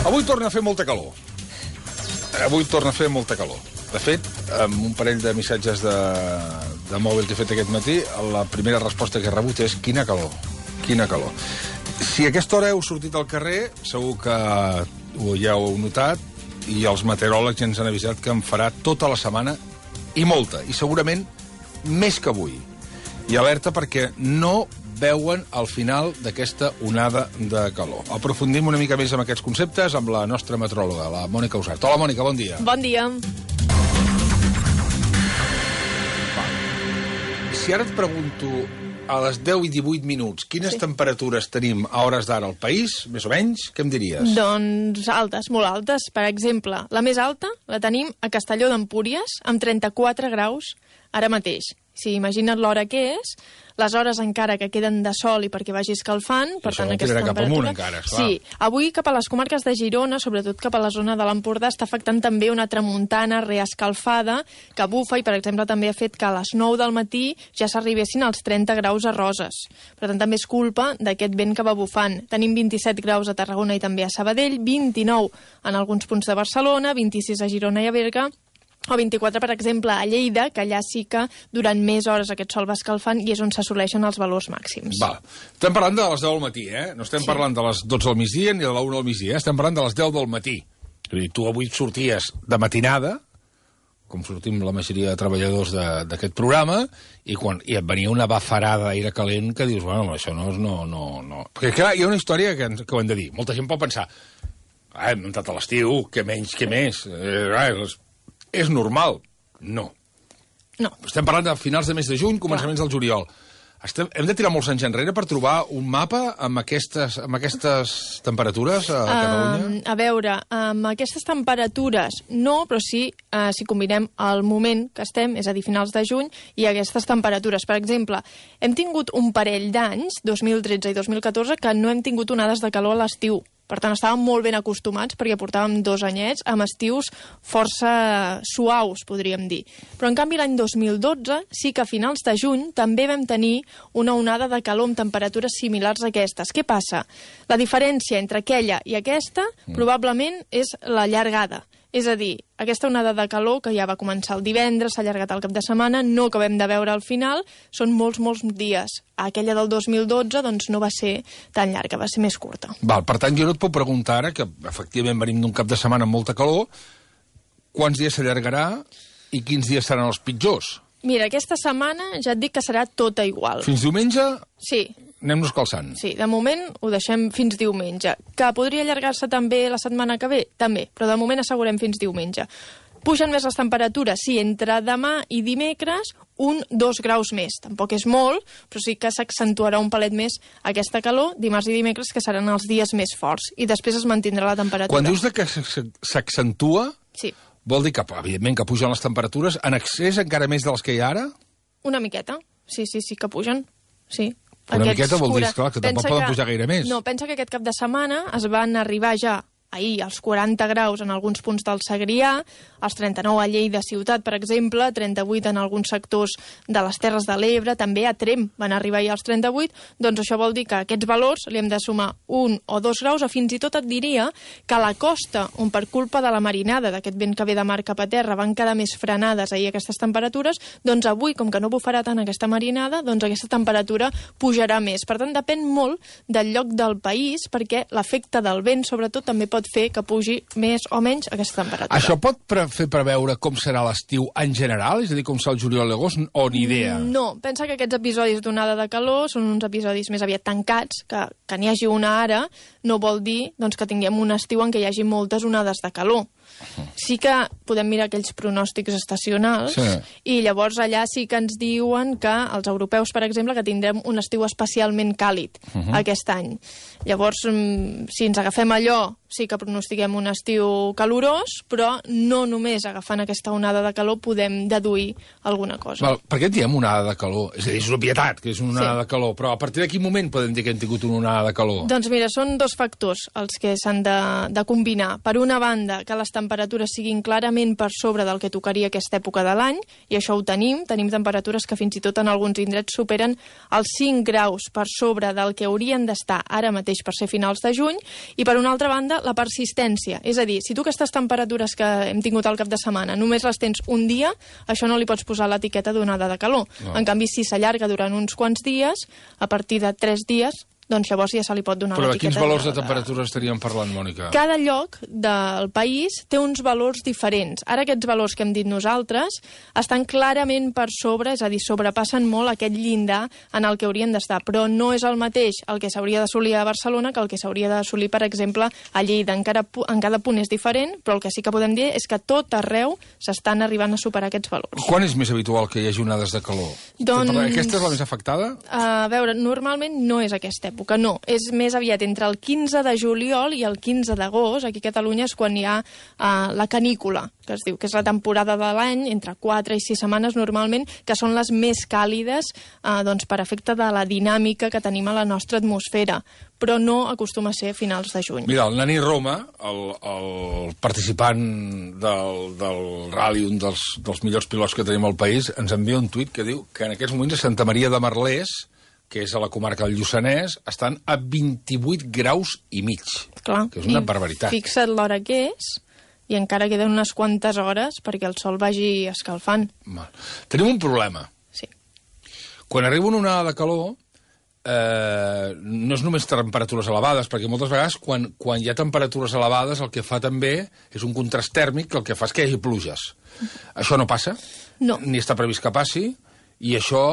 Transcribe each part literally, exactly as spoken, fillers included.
Avui torna a fer molta calor. Avui torna a fer molta calor. De fet, amb un parell de missatges de, de mòbil que he fet aquest matí, la primera resposta que he rebut és quina calor, quina calor. Si a aquesta hora heu sortit al carrer, segur que ja ho heu notat, i els meteoròlegs ja ens han avisat que en farà tota la setmana, i molta, i segurament més que avui. I alerta perquè no veuen al final d'aquesta onada de calor. Aprofundim una mica més amb aquests conceptes amb la nostra meteoròloga, la Mònica Usart. Hola, Mònica, bon dia. Bon dia. Si ara et pregunto a les deu i divuit minuts quines sí. temperatures tenim a hores d'ara al país, més o menys, què em diries? Doncs altes, molt altes. Per exemple, la més alta la tenim a Castelló d'Empúries, amb trenta-quatre graus ara mateix. Si imagina't l'hora que és, les hores encara que queden de sol i perquè vagi escalfant, per això tant aquesta cap temperatura... amunt encara, esclar. Sí, avui cap a les comarques de Girona, sobretot cap a la zona de l'Empordà, està afectant també una tramuntana reescalfada que bufa i, per exemple, també ha fet que a les nou del matí ja s'arribessin als trenta graus a Roses. Per tant, també és culpa d'aquest vent que va bufant. Tenim vint-i-set graus a Tarragona i també a Sabadell, vint-i-nou en alguns punts de Barcelona, vint-i-sis a Girona i a Berga, o vint-i-quatre, per exemple, a Lleida, que allà sí que durant més hores aquest sol va escalfant i és on s'assoleixen els valors màxims. Val. Estem parlant de les deu del matí, eh? No estem sí. parlant de les dotze del migdia ni de la una del migdia, eh? Estem parlant de les deu del matí. És a dir, tu avui sorties de matinada, com sortim la majoria de treballadors d'aquest programa, i, quan, i et venia una bafarada d'aire calent que dius, bueno, això no és... No, no, no. Perquè, clar, hi ha una història que, que ho hem de dir. Molta gent pot pensar, ah, hem entrat a l'estiu, què menys, què més... Eh, ah, les... És normal? No. No. Estem parlant de finals de mes de juny, començaments del juliol. Estem, hem de tirar molts anys enrere per trobar un mapa amb aquestes, amb aquestes temperatures a Catalunya? Uh, a veure, amb aquestes temperatures no, però sí, uh, si combinem el moment que estem, és a dir, finals de juny, i aquestes temperatures. Per exemple, hem tingut un parell d'anys, dos mil tretze i dos mil catorze, que no hem tingut onades de calor a l'estiu. Per tant, estàvem molt ben acostumats perquè portàvem dos anyets amb estius força suaus, podríem dir. Però, en canvi, l'any dos mil dotze sí que a finals de juny també vam tenir una onada de calor amb temperatures similars a aquestes. Què passa? La diferència entre aquella i aquesta mm. probablement és la llargada. És a dir, aquesta onada de calor que ja va començar el divendres, s'ha allargat el cap de setmana, no acabem de veure al final, són molts, molts dies. Aquella del dos mil dotze doncs, no va ser tan llarga, va ser més curta. Val, per tant, jo no et puc preguntar ara, que efectivament venim d'un cap de setmana amb molta calor, quants dies s'allargarà i quins dies seran els pitjors? Mira, aquesta setmana ja et dic que serà tota igual. Fins diumenge? Sí. Anem-nos calçant. Sí, de moment ho deixem fins diumenge. Que podria allargar-se també la setmana que ve? També, però de moment assegurem fins diumenge. Pugen més les temperatures? Sí, entre demà i dimecres, un, dos graus més. Tampoc és molt, però sí que s'accentuarà un palet més aquesta calor, dimarts i dimecres, que seran els dies més forts. I després es mantindrà la temperatura. Quan dius que s'accentua, sí. vol dir que, evidentment, que pugen les temperatures en excés encara més de les que hi ha ara? Una miqueta. Sí, sí, sí que pugen. Sí. Una Aquests miqueta vol dir, esclar, que tampoc poden pujar gaire més. No, pensa que aquest cap de setmana es van arribar ja ahir als quaranta graus en alguns punts del Segrià, als trenta-nou a Lleida ciutat, per exemple, trenta-vuit en alguns sectors de les Terres de l'Ebre, també a Tremp van arribar ahir als trenta-vuit, doncs això vol dir que a aquests valors li hem de sumar un o dos graus, o fins i tot et diria que a la costa, on per culpa de la marinada, d'aquest vent que ve de mar cap a terra, van quedar més frenades ahir aquestes temperatures, doncs avui, com que no bufarà tant aquesta marinada, doncs aquesta temperatura pujarà més. Per tant, depèn molt del lloc del país, perquè l'efecte del vent, sobretot, també pot fer que pugi més o menys aquesta temperatura. Això pot pre fer preveure com serà l'estiu en general? És a dir, com serà el juliol i l'agost, o ni idea? No, pensa que aquests episodis d'onada de calor són uns episodis més aviat tancats, que, que n'hi hagi una ara no vol dir doncs, que tinguem un estiu en què hi hagi moltes onades de calor. Sí que podem mirar aquells pronòstics estacionals sí. i llavors allà sí que ens diuen que els europeus, per exemple, que tindrem un estiu especialment càlid uh -huh. aquest any. Llavors, si ens agafem allò, sí que pronostiquem un estiu calorós, però no només agafant aquesta onada de calor podem deduir alguna cosa. Val, per què en diem onada de calor? És a dir, és una obvietat que és una onada sí. de calor, però a partir de quin moment podem dir que hem tingut una onada de calor? Doncs mira, són dos factors els que s'han de, de combinar. Per una banda, que les temperatures siguin clarament per sobre del que tocaria aquesta època de l'any, i això ho tenim, tenim temperatures que fins i tot en alguns indrets superen els cinc graus per sobre del que haurien d'estar ara mateix per ser finals de juny, i per una altra banda, la persistència. És a dir, si tu aquestes temperatures que hem tingut al cap de setmana només les tens un dia, això no li pots posar l'etiqueta d'onada de calor. No. En canvi, si s'allarga durant uns quants dies, a partir de tres dies, doncs llavors ja se li pot donar Però l'etiqueta. Però quins valors de temperatura estaríem parlant, Mònica? Cada lloc del país té uns valors diferents. Ara aquests valors que hem dit nosaltres estan clarament per sobre, és a dir, sobrepassen molt aquest llindar en el que haurien d'estar, però no és el mateix el que s'hauria d'assolir a Barcelona que el que s'hauria d'assolir, per exemple, a Lleida. Encara en cada punt és diferent, però el que sí que podem dir és que tot arreu s'estan arribant a superar aquests valors. Quan és més habitual que hi hagi onades de calor? Doncs... Aquesta és la més afectada? A veure, normalment no és aquesta època. No, és més aviat entre el quinze de juliol i el quinze d'agost. Aquí a Catalunya és quan hi ha uh, la canícula, que es diu, que és la temporada de l'any, entre quatre i sis setmanes normalment, que són les més càlides uh, doncs, per efecte de la dinàmica que tenim a la nostra atmosfera, però no acostuma a ser a finals de juny. Mira, el Nani Roma, el, el participant del, del rally, un dels, dels millors pilots que tenim al país, ens envia un tuit que diu que en aquests moments a Santa Maria de Merlès, que és a la comarca del Lluçanès, estan a vint-i-vuit graus i mig. Clar, que és una barbaritat. Fixa't l'hora que és, i encara queden unes quantes hores perquè el sol vagi escalfant. Mal. Tenim un problema. Sí. Quan arriba una onada de calor, eh, no és només temperatures elevades, perquè moltes vegades quan, quan hi ha temperatures elevades el que fa també és un contrast tèrmic que el que fa és que hi hagi pluges. Això no passa, no. Ni està previst que passi, i això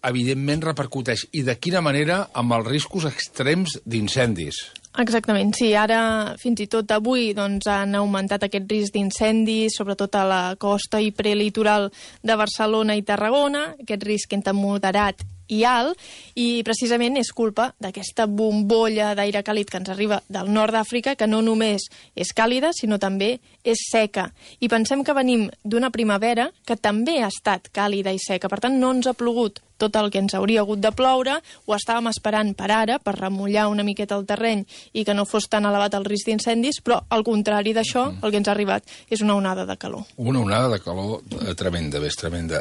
evidentment repercuteix, i de quina manera, amb els riscos extrems d'incendis. Exactament, sí. Ara, fins i tot avui, doncs, han augmentat aquest risc d'incendis, sobretot a la costa i prelitoral de Barcelona i Tarragona, aquest risc entre moderat i alt, i precisament és culpa d'aquesta bombolla d'aire càlid que ens arriba del nord d'Àfrica, que no només és càlida, sinó també és seca. I pensem que venim d'una primavera que també ha estat càlida i seca, per tant no ens ha plogut tot el que ens hauria hagut de ploure, ho estàvem esperant per ara, per remullar una miqueta el terreny i que no fos tan elevat el risc d'incendis, però al contrari d'això, el que ens ha arribat és una onada de calor. Una onada de calor tremenda, bé, és tremenda.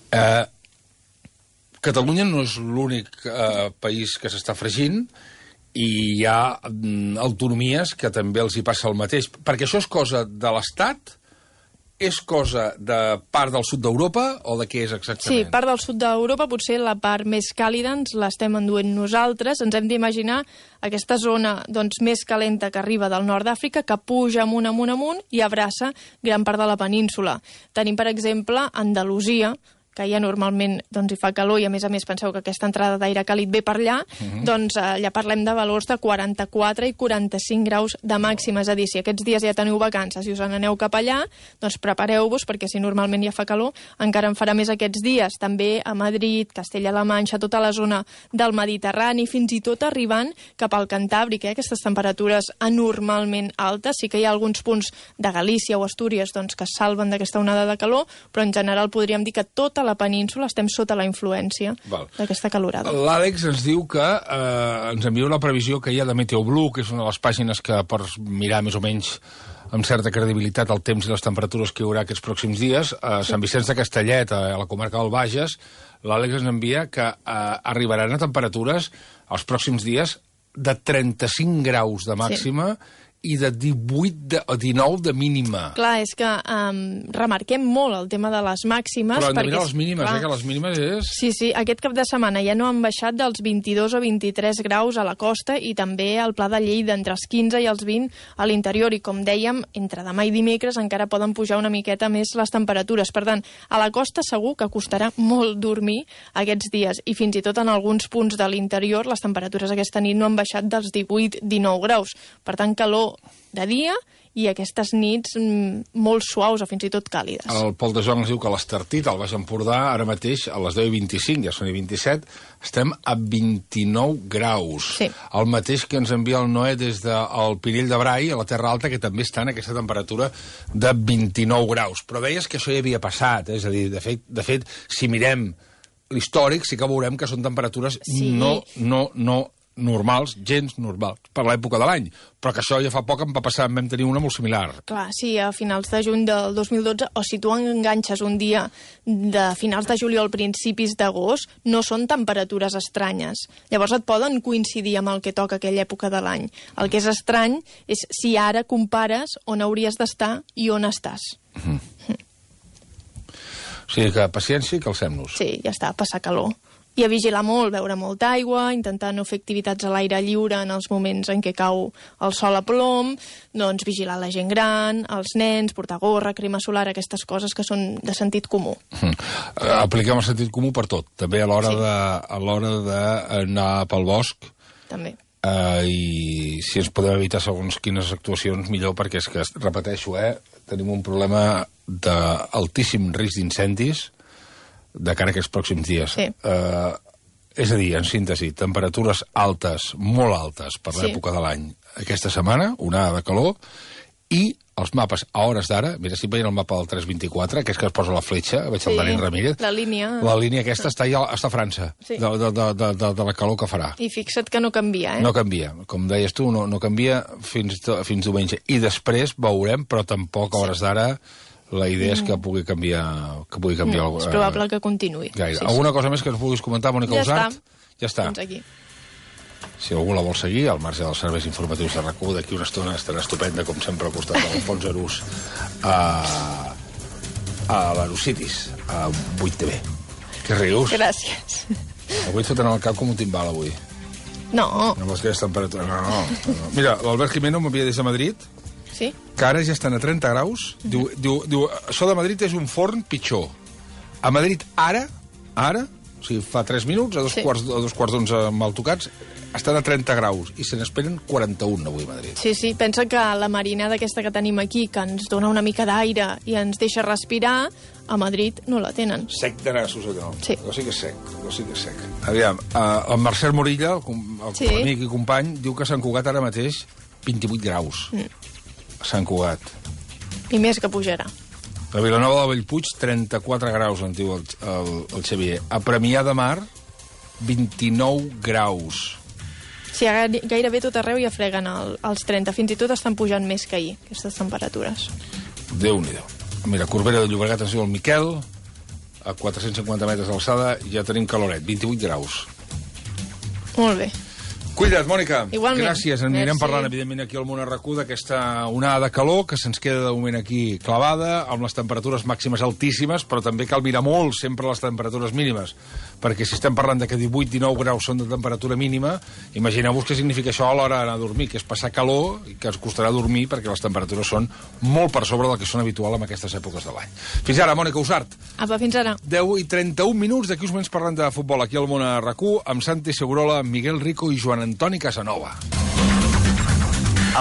Eh... Catalunya no és l'únic eh, país que s'està fregint, i hi ha mm, autonomies que també els hi passa el mateix. Perquè això és cosa de l'Estat, és cosa de part del sud d'Europa, o de què és exactament? Sí, part del sud d'Europa, potser la part més càlida ens l'estem enduent nosaltres. Ens hem d'imaginar aquesta zona doncs, més calenta que arriba del nord d'Àfrica, que puja amunt, amunt, amunt, i abraça gran part de la península. Tenim, per exemple, Andalusia, que ja normalment doncs, hi fa calor, i a més a més penseu que aquesta entrada d'aire càlid ve per allà, uh-huh. doncs allà parlem de valors de quaranta-quatre i quaranta-cinc graus de màxima. És a dir, si aquests dies ja teniu vacances i us n'aneu cap allà, doncs prepareu-vos, perquè si normalment ja fa calor, encara en farà més aquests dies. També a Madrid, Castella-La Manxa, tota la zona del Mediterrani, fins i tot arribant cap al Cantàbric, eh? Aquestes temperatures anormalment altes. Sí que hi ha alguns punts de Galícia o Astúries doncs, que es salven d'aquesta onada de calor, però en general podríem dir que tota la península estem sota la influència d'aquesta calorada. L'Àlex ens diu que eh, ens envia una previsió que hi ha de Meteoblue, que és una de les pàgines que pots mirar més o menys amb certa credibilitat el temps i les temperatures que hi haurà aquests pròxims dies. A Sant Vicenç de Castellet, a la comarca del Bages, l'Àlex ens envia que eh, arribaran a temperatures els pròxims dies de trenta-cinc graus de màxima, sí, i de divuit de, o dinou de mínima. Clar, és que um, remarquem molt el tema de les màximes. Però hem de perquè, mirar les mínimes, clar, eh, que les mínimes és... Sí, sí, aquest cap de setmana ja no han baixat dels vint-i-dos o vint-i-tres graus a la costa, i també al Pla de Lleida, entre els quinze i els vint a l'interior, i com dèiem, entre demà i dimecres encara poden pujar una miqueta més les temperatures. Per tant, a la costa segur que costarà molt dormir aquests dies, i fins i tot en alguns punts de l'interior les temperatures aquesta nit no han baixat dels divuit a dinou graus. Per tant, calor de dia i aquestes nits mm, molt suaus o fins i tot càlides. El Pol de Joan ens diu que l'Estartit, al Baix Empordà, ara mateix a les deu i vint-i-cinc, ja són i vint-i-set, estem a vint-i-nou graus. Sí. El mateix que ens envia el Noé des del Pinell de Brai, a la Terra Alta, que també està en aquesta temperatura de vint-i-nou graus. Però deies que això ja havia passat, eh? És a dir, de fet, de fet si mirem l'històric, sí que veurem que són temperatures sí. no, no, no normals, gens normals, per l'època de l'any. Però que això ja fa poc em va passar, vam tenir una molt similar. Clar, sí, a finals de juny del dos mil dotze, o si tu enganxes un dia de finals de juliol, principis d'agost, no són temperatures estranyes. Llavors et poden coincidir amb el que toca aquella època de l'any. El que és estrany és si ara compares on hauries d'estar i on estàs. Mm. Mm. O sigui que paciència i calcem-nos. Sí, ja està, passar calor. I a vigilar molt, beure molta aigua, intentar no fer activitats a l'aire lliure en els moments en què cau el sol a plom, doncs vigilar la gent gran, els nens, portar gorra, crema solar, aquestes coses que són de sentit comú. Mm. Apliquem el sentit comú per tot, també a l'hora sí. de, a l'hora d'anar pel bosc. També. Uh, I si ens podem evitar segons quines actuacions, millor, perquè és que, repeteixo, eh, tenim un problema d'altíssim risc d'incendis de cara a aquests pròxims dies. Sí. Uh, és a dir, en síntesi, temperatures altes, molt altes per l'època sí. de l'any aquesta setmana, onada de calor, i els mapes a hores d'ara, mira, si veient el mapa del tres vint-i-quatre, que és que es posa la fletxa, veig sí, el Dani Ramírez, la línia... la línia aquesta està, ja, està a França, sí. de, de, de, de, de la calor que farà. I fixa't que no canvia, eh? No canvia, com deies tu, no, no canvia fins, fins diumenge. I després veurem, però tampoc a hores d'ara la idea és que pugui canviar... Que pugui canviar no, és probable que continuï. Gaire. Sí, Alguna sí. cosa més que ens vulguis comentar, Mònica ja Usart? Està. Ja està. Fins aquí. Si algú la vol seguir, al marge dels serveis informatius de RAC u, d'aquí una estona estarà estupenda, com sempre, al costat de l'Alfons Arús, a, a l'Aerocities, a vuit T V. Què rius? Gràcies. Avui et foten al cap com un timbal, avui. No. Amb les que temperatures... No, no, no. Mira, l'Albert Jimeno m'havia des de Madrid, sí? que ara ja estan a trenta graus. Mm-hmm. Diu, diu, diu, això de Madrid és un forn pitjor. A Madrid, ara, ara, o sigui, fa tres minuts, a dos sí. quarts, a dos quarts d'onze mal tocats, estan a trenta graus, i se n'esperen quaranta-un avui a Madrid. Sí, sí, pensa que la marinada aquesta que tenim aquí, que ens dona una mica d'aire i ens deixa respirar, a Madrid no la tenen. Sec de nassos, allò. Sí. Allò sí que és sec, allò sí que és sec. Aviam, uh, el Marcel Morilla, el, el sí. amic i company, diu que a Sant Cugat ara mateix vint-i-vuit graus. Mm. A Sant Cugat. I més que pujarà. A Vilanova de Bellpuig, trenta-quatre graus, en diu el, el, el Xavier. A Premià de Mar, vint-i-nou graus. Sí, gairebé tot arreu ja freguen el, els trenta. Fins i tot estan pujant més que ahir, aquestes temperatures. Déu-n'hi-do. Mira, Corbera de Llobregat ens diu el Miquel, a quatre-cents cinquanta metres d'alçada ja tenim caloret, vint-i-vuit graus. Molt bé. Cuida't, Mònica. Igualment. Gràcies. En anirem parlant, evidentment, aquí al món RAC u d'aquesta onada de calor que se'ns queda de moment aquí clavada, amb les temperatures màximes altíssimes, però també cal mirar molt sempre les temperatures mínimes, perquè si estem parlant de que divuit dinou graus són de temperatura mínima, imagineu-vos què significa això a l'hora d'anar a dormir, que és passar calor i que ens costarà dormir perquè les temperatures són molt per sobre del que són habitual en aquestes èpoques de l'any. Fins ara, Mònica Usart. Apa, fins ara. deu i trenta-un minuts, d'aquí uns moments parlant de futbol aquí al món RAC u, amb Santi Segurola, Miguel Rico i Joan Antoni Casanova.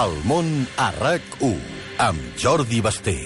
El món a RAC u, amb Jordi Basté.